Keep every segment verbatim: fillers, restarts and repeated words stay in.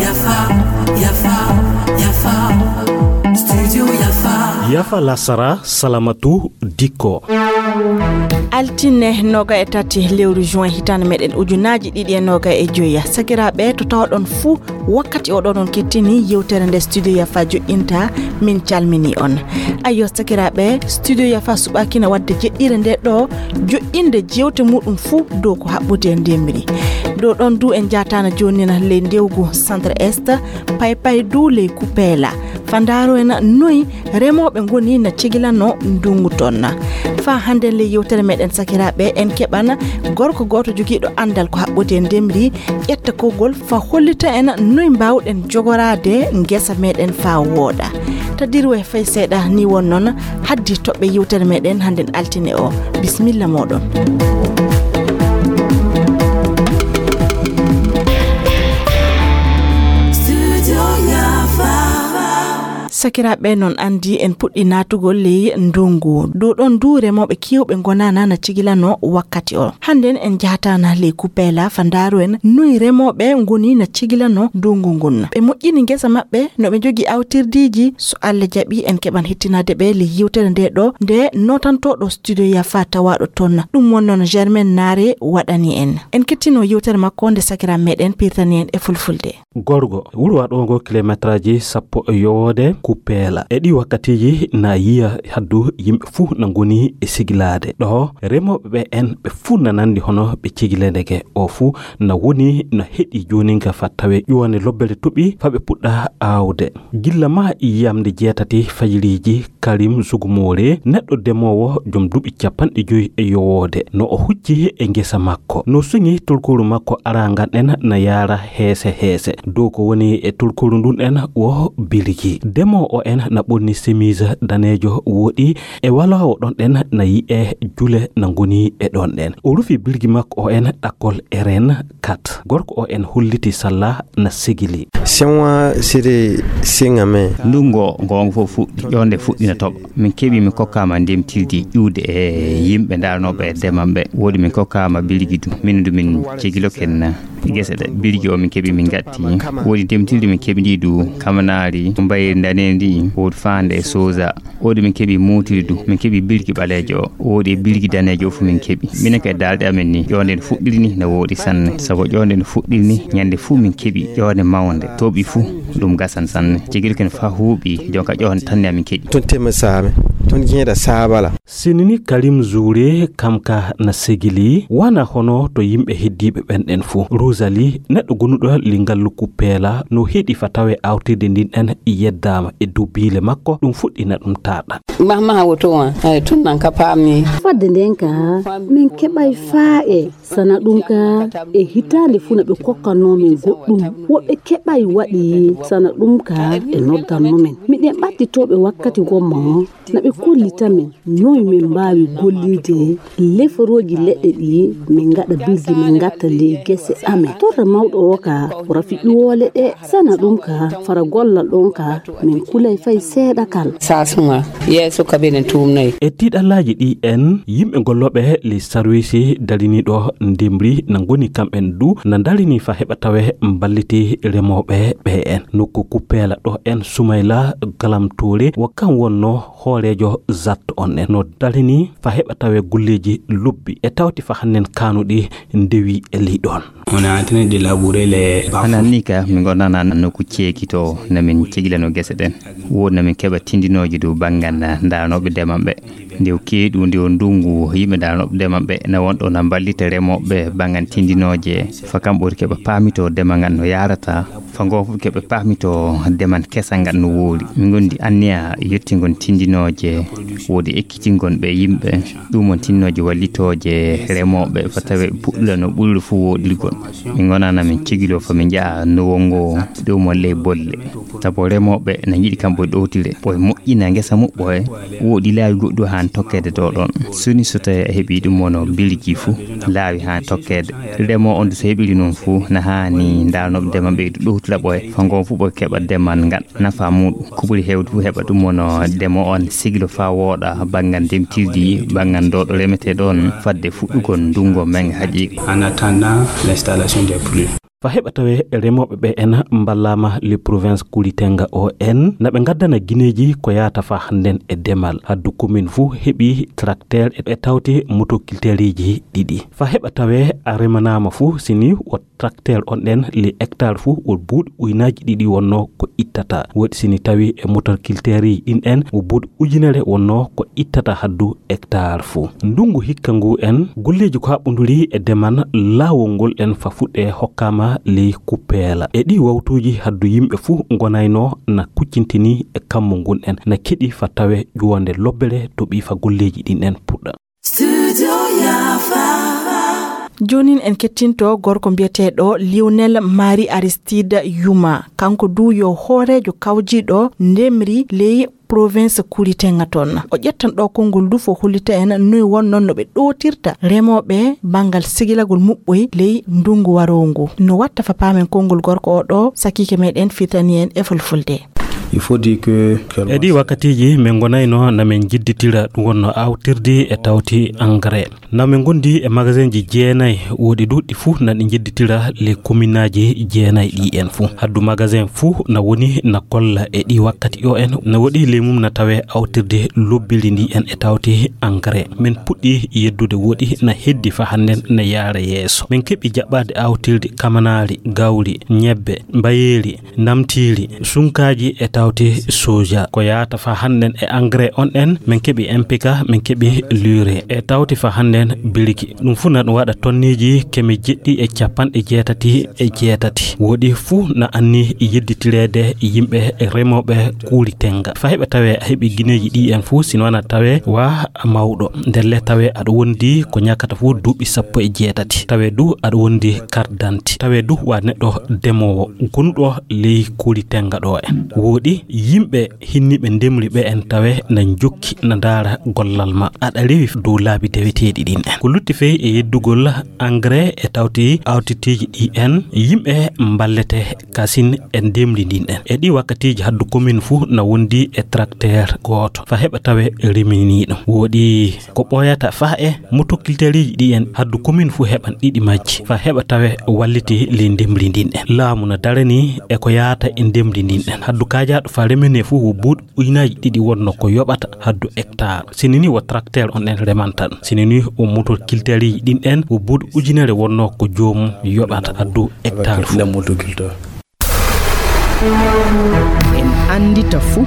Yafa, yafa, yafa. Studio Yafa. Yafa lasara, salamatu dikko. Altine noga e tati lewru juin hitande meɗen ujunaaji ɗiɗi e noga e joyi. Sakiraaɓe, to tawɗon fuu, wakkati oɗo noon kettini yewtere nde Studio Yafa joƴƴinta, min calmini on. Ayyo, sakiraaɓe, Studio Yafa suɓaaki na waɗde jeɗɗire nde ɗo joƴƴinde jewte muɗum fuu dow ko haɓɓodi e ndemri. Ɗo ɗon du en jaataana jooni na ley ndewgu Centre Est, pay pay du ley Kupeela. Fa ndaaro en noy remooɓe ngoni na cegilano ndungu toon. Fa hannden ley yewtere meɗen sakiraaɓe, en keɓana gorko gooto jogiiɗo anndal ko haɓɓodi e ndemri, ƴetta konngol fa hollita en noy mbaawɗen jogoraade ngesa meɗen fa wooɗa. Tadirwe fay seeɗa ni won noon haddi toɓɓe yewtere meɗen hannden altine o. Bisimilla mooɗon. Sakiraaɓe, noon anndi en puɗɗi naatugol ley ndungu. Ɗo ɗon du remooɓe keewɓe ngonana na cegilano wakkati o. Hannden en njahataana ley Kupeela fa ndaaru en noy remooɓe ngoni na cegilano ndungu ngun. Ɓe moƴƴini ngesa maɓɓe, no ɓe njogii awtirdiiji. So Allah jaɓi, en keɓan hettinaade ɓe ley yewtere nde ɗo, nde nootantooɗo Studio Yafa tawaaɗo toon. Ɗum won noon Germaine Naare waɗani en. En kettino yewtere makko nde sakiraaɓe meɗen pirtani en e fulfulde. Gorgo, wuro waɗoongo kilometraaji sappo e yowoode Kupeela. E ɗii wakkatiiji na yiya haddu yimɓe fuu na ngoni e sigilaade. Ɗo remooɓe ɓe en ɓe fuu na nanndi hono ɓe cigile ndeke. O fuu na woni na heɗi jooninka fa tawe ƴuwande lobbere toɓi fa ɓe puɗɗa aawde. Gilla ma yiyamde jeetati fajiriiji Karim Zugumore, neɗɗo demoowo jom duuɓi capanɗe joyi e yowoode, no o hucci e ngesa makko. No suŋi tolkooru makko arangan en na yaara heese heese. Dow ko woni e tolkooru ndun en wo birgi. Demoowo en na ɓorni semiis daneejo wooɗi e waloowo ɗon ɗen na yi'e jule na ngoni e ɗon ɗen. O rufi birgi makko o en ɗakkol eren kat. Gorko o en holliti salla na sigili. Senwa siri siŋa me. Ndungo goongo fof fuɗɗi, ƴoonde fuɗɗi na toɓa. Min keɓi, min kokkaama ndemtildi ƴuwde e yimɓe ndaarnooɓe e deman ɓe. Woodi min kokkaama birgi du. Min du min cegiloken gese ɗe. Birgi o min keɓi min ngatti. Woodi ndemtildi min keɓi ndi du kamanaari mbayri ndaneendi, woodi faande e soza. Woodi min keɓi mootiri du, min keɓi birgi ɓaleejo o, woodi e birgi daneejo o fu min keɓi. Minen kay daalɗe amen ni, ƴoonde no fuɗɗiri ni no wooɗi sanne. Sabu ƴoonde no fuɗɗiri ni, ñande fu min keɓi ƴoonde mawnde, toɓi fu ɗum gasan sanne. Cegel ken fa huuɓi, jonka ƴoonde tan ni amin keɓi. Tun tema saabe, tun jeeɗa saabala. Sinini Karim Zure kam ka na segili, wana hono to yimɓe heddiiɓe ɓen ɗen fu. Rosalie, neɗɗo gonuɗo li ngalluku peela, no heɗi fa tawe awtirde ndin ɗen yeddaama e dow biile makko, ɗum fuɗɗina ɗum taaɗa. Mahmaha woto wan, ay, tun nan ka paami. Fadde nden ka, min keɓay faa e sana ɗum ka e hitaande fuu na ɓe kokkanno min goɗɗum. Woɓɓe keɓay waɗi sana ɗum ka e noddanno min. Miɗen ɓattitooɓe wakkati gomma na ɓe kollita min noy min mbaawi gollirde leforooji leɗɗe ɗi min ngaɗa birgi min ngatta ley gese amen. Torra mawɗo o ka o rafi ƴuwoole ɗe sana ɗum ka fara gollal ɗon ka min kulay fay seeɗa kal. Sasuma yeeso kabinet tumnoy. E tiiɗallaaji ɗi en, yimɓe gollooɓe ley sarwiisi dariniiɗo ndemri na ngoni kamɓen du na ndarini fa heɓa tawe mballiti remooɓe ɓe en. Nokku Kupeela ɗo en Sumayla Galam Toure wo kam wonno hooreejo zat on en. No darini fa heɓa tawe golleeji lobbi e tawti fa hannen kaanuɗi ndewi e ley ɗon. On est en train de labourer les bas-fonds. Hanan ni ka, min ngonana nokku ceekito na min cegilano gese ɗen. Woodi na min keɓa tindinooji dow banngal ndaarnooɓe deman ɓe. Nde o keeɗu, nde o ndungu, yimɓe ndaarnooɓe deman ɓe na won ɗo na mballita remooɓe banngal tindinooje. Fa kam ɓuri keɓa paamito demal ngal no yaarata. Fa ngo fof keɓe paamito demal kesal ngal no woori. Min ngondi anniya yettingol tindinooje, woodi ekkitingol ɓe yimɓe. Ɗum won tindinooje wallitooje remooɓe fa tawe puɗɗula no ɓuri fof wooɗirgol. Min ngonana min cegiloo fa min njaha nowol ngo, ɗum won ley bolle. Sabu remooɓe na njiɗi kamɓe ɗowtire, ɓoye moƴƴina ngesa muɓɓoye, woodi laawi goɗɗo haa tokkeede ɗo ɗon. Soni so tawii a heɓii ɗum wonno biliki fuu, laawi haa tokkeede. Remoo on so heɓiri noon fuu, na haani ndaalnooɓe ndema ɓeydu ɗowtira ɓoye, fa ngoon fuu ɓe keɓa demal ngal nafa muuɗum. Ko ɓuri heewde fuu heɓa ɗum wonno demo on sigilo faa wooɗa banngal ndemtirdi, banngal ɗo ɗo remetee ɗon fadde fuɗɗugol ndungu men haqiiqa. En attendant l'installation des pluies. Fa heɓa tawee remooɓe ɓe en mballaama le province Kulitenga o en, na ɓe ngaddana gineeji ko yaata fa hannden e demal. Haddu commune fuu heɓi tracteur e, e tawti motoculteuriji ɗiɗi. Fa heɓa tawee a remanaama fuu, sini o tracteur on ɗen le hectare fuu o buuɗi uynaaji ɗiɗi wonno ko ittata. Woɗi sini tawi e motoculteuriji ɗin en o buuɗi ujunere wonno ko ittata haddu hectare fuu. Ndungu hikka ngu en, golleeji ko haɓɓunduri e demal laawol ngol en fa fuɗɗe hokkaama ley kuppeela. E ɗi wawtuuji haddu yimɓe fuu ngonayno na kuccintini e kammu ngun en, na keɗi fa tawe ƴuwande lobbere toɓi fa golleeji ɗin en puɗɗa. Studio Yafa. Joonin en kettinto gorko mbiyeteeɗo Lionel Marie Aristide Yuma. Kanko du yo hooreejo kawjiiɗo ndemri ley province Kulitenga toon. O ƴettan ɗo konngol du fo hollita en noy wonno no ɓe ɗootirta remooɓe banngal sigilagol muɓɓoy ley ndungu waroongu. No watta fa paamen konngol gorko o ɗo, sakiike meɗen fitani en e fulfulde. Il faut dire que E ɗi wakkatiiji, min ngonayno na min njidditira ɗum wonno awtirdi e tawti engrais. Na min ngondi e magasinji jeenay, woɗi du ɗi fuu na ɗi njidditira les communeaji jeenay ɗi en fuu. Haddu magasin fuu na woni na kolla e ɗi wakkati o en, na woɗi ley mum na tawe awtirde lobbiri ndi en e tawti engrais. Min puɗɗi yeddude woɗi na heddi fa hannden na yaara yeeso. Min keɓi jaɓɓaade awtirdi kamanaari, gawri, ñebbe, mbayeeri, namtiiri, sunkaaji e tawti soja. Ko yaata fa hannden e engrais on en, min keɓi M P K, min keɓi lure. E tawti fa hannden biriki. Ɗum fuu na ɗum waɗa tonneeji keme jeɗɗi e capanɗe jeetati e jeetati. Woɗi fuu na anni yedditireede yimɓe remooɓe Kulitenga. Fa heɓa tawe a heɓi gineeji ɗi en fuu, sino ana tawe wa mawɗo. Ndelle tawe aɗa wondi ko ñakata fuu duuɓi sappo e jeetati. Tawe du aɗa wondi carte d'identité. Tawe du wa neɗɗo demoowo gonuɗo ley Kulitenga ɗo en. Woɗi yimɓe hinniiɓe ndemri ɓe en tawe na njokki na ndaara gollal ma. Aɗa rewi dow laabi deweteeɗi ɗin en. Ko lutti fey e yeddugol engrais e tawti awtitiiji ɗi en, yimɓe mballete kasin e ndemri ndin en. E ɗi wakkatiiji haddu commune fuu na wondi e tracteur gooto. Fa heɓa tawe reminiiɗo. Woɗi ko ɓooyata fa e motoculteuriji ɗi en haddu commune fuu heɓan ɗiɗi majji. Fa heɓa tawe walliti ley ndemri ndin en. Laamu na darani e ko yaata e ndemri ndin en. Haddu kaajaaɗo fa remene fuu wo buuɗi uynaaji ɗiɗi wonno ko yoɓata haddu hectare. Sini ni wo tracteur on en remanta ɗum. Sini ni wo motoculteuriji ɗin en wo buuɗi ujunere wonno ko joomum yoɓata haddu hectare fuu. En anndita fuu.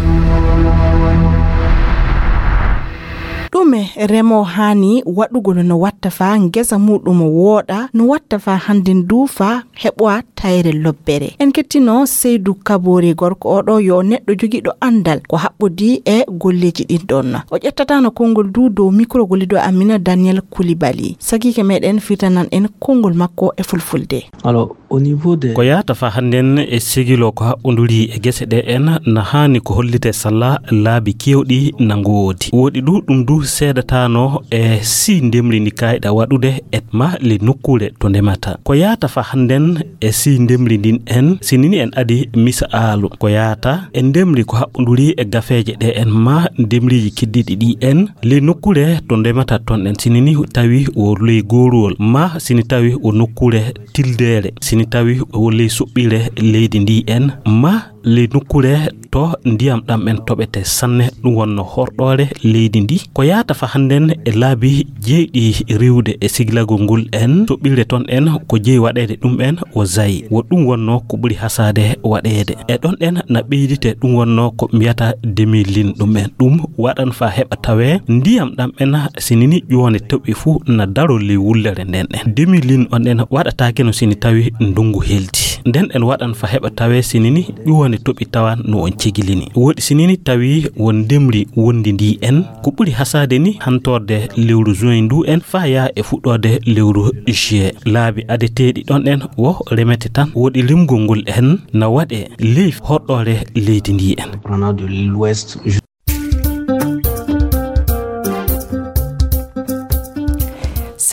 Ɗume remoo haani waɗugol no watta fa ngesa muuɗum wooɗa, no watta fa hannden du fa heɓowa tayre lobbere. En kettino Seydu Kaboori gorko oɗo yo neɗɗo jogiiɗo anndal ko haɓɓodii e golleeji ɗin ɗon. O ƴettataano konngol du dow mikro gollido Amina Daniel Koulibaly. Sakiike meɗen fitanan en konngol makko e fulfulde. Alors, au niveau des Ko yaata fa hannden e sigilo ko haɓɓonduri e gese ɗe en na haani ko hollite salla laabi keewɗi na ngoodi. Woɗi du ɗum du seedataano e si ndemri ndi kayɗa waɗude e ma le nokkuure to ndemata. Ko yaata fa hannden e si ndemri ndin en, sinini en adi misa aalu. Ko yaata e ndemri ko haɓɓonduri e gafeeje ɗe en ma ndemriji keddiɗi ɗi en, le nokkuure to ndemata ton en, sinini tawi o ley gooruwol ma sini tawi o nokkuure tildeere, sini tawi o ley soɓɓire leydi ndi en ma ley nokkuure to ndiyam ɗam en toɓete sanne, ɗum wonno horɗoore leydi ndi. Ko yaata fa hannden e laabi jeyɗi riwde e siglagol ngol en, soɓɓire ton en ko jeyi waɗeede ɗum en o zayi. Wo ɗum wonno ko ɓuri hasaade waɗeede. E ɗon en na ɓeydite ɗum wonno ko mbiyata demi-ligne ɗum en. Ɗum waɗan fa heɓa tawe ndiyam ɗam en sinini ƴuwande toɓi fuu na daro ley wullere nden en. Demi-ligne on en waɗataake no sini tawi ndungu helti. Nden en waɗan fa heɓa tawe sinini ƴuwande toɓi tawan no on cegilini. Woɗi sinini tawi won ndemri wondi ndi en. Ko ɓuri hasaade ni hantorde lewru juin ndu en fa yaa e fuɗɗoode lewru juillet. Laabi adeteeɗi ɗon en wo remete tan. Woɗi limgol ngol en na waɗe ley horɗoore leydi ndi en. Prenant de l'ouest.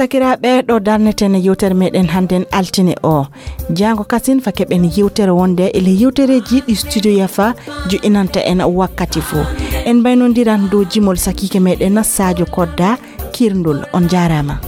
Sakiraaɓe, ɗo darneten yewtere meɗen hannden altine o. Jaango kasin fake ɓen yewtere wonde e le yewtereji ɗi Studio Yafa joɗinanta en wakkati fo. En mbaynondiran dow jimol sakiike meɗen Sadio Kodda Kirndol. On jaaraama.